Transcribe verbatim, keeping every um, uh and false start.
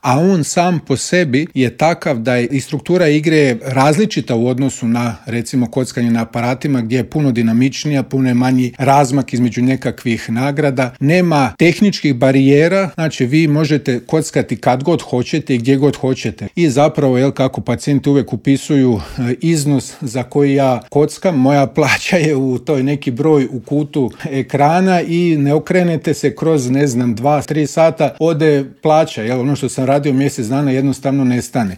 a on sam po sebi je takav da je i struktura igre različita u odnosu na, recimo, kockanje na aparatima gdje je puno dinamičnija, puno je manji razmak između nekakvih nagrada. Nema tehničkih barijera, znači vi možete kockati kad god hoćete i gdje god hoćete. I zapravo, jel, kako pacijenti uvijek upisuju iznos za koji ja kockam, moja plaća je u toj neki broj u kutu ekrana i ne okrenete se kroz, ne znam, dva, tri sata, ode plaća, jel, ono što sam radio mjesec dana jednostavno nestane.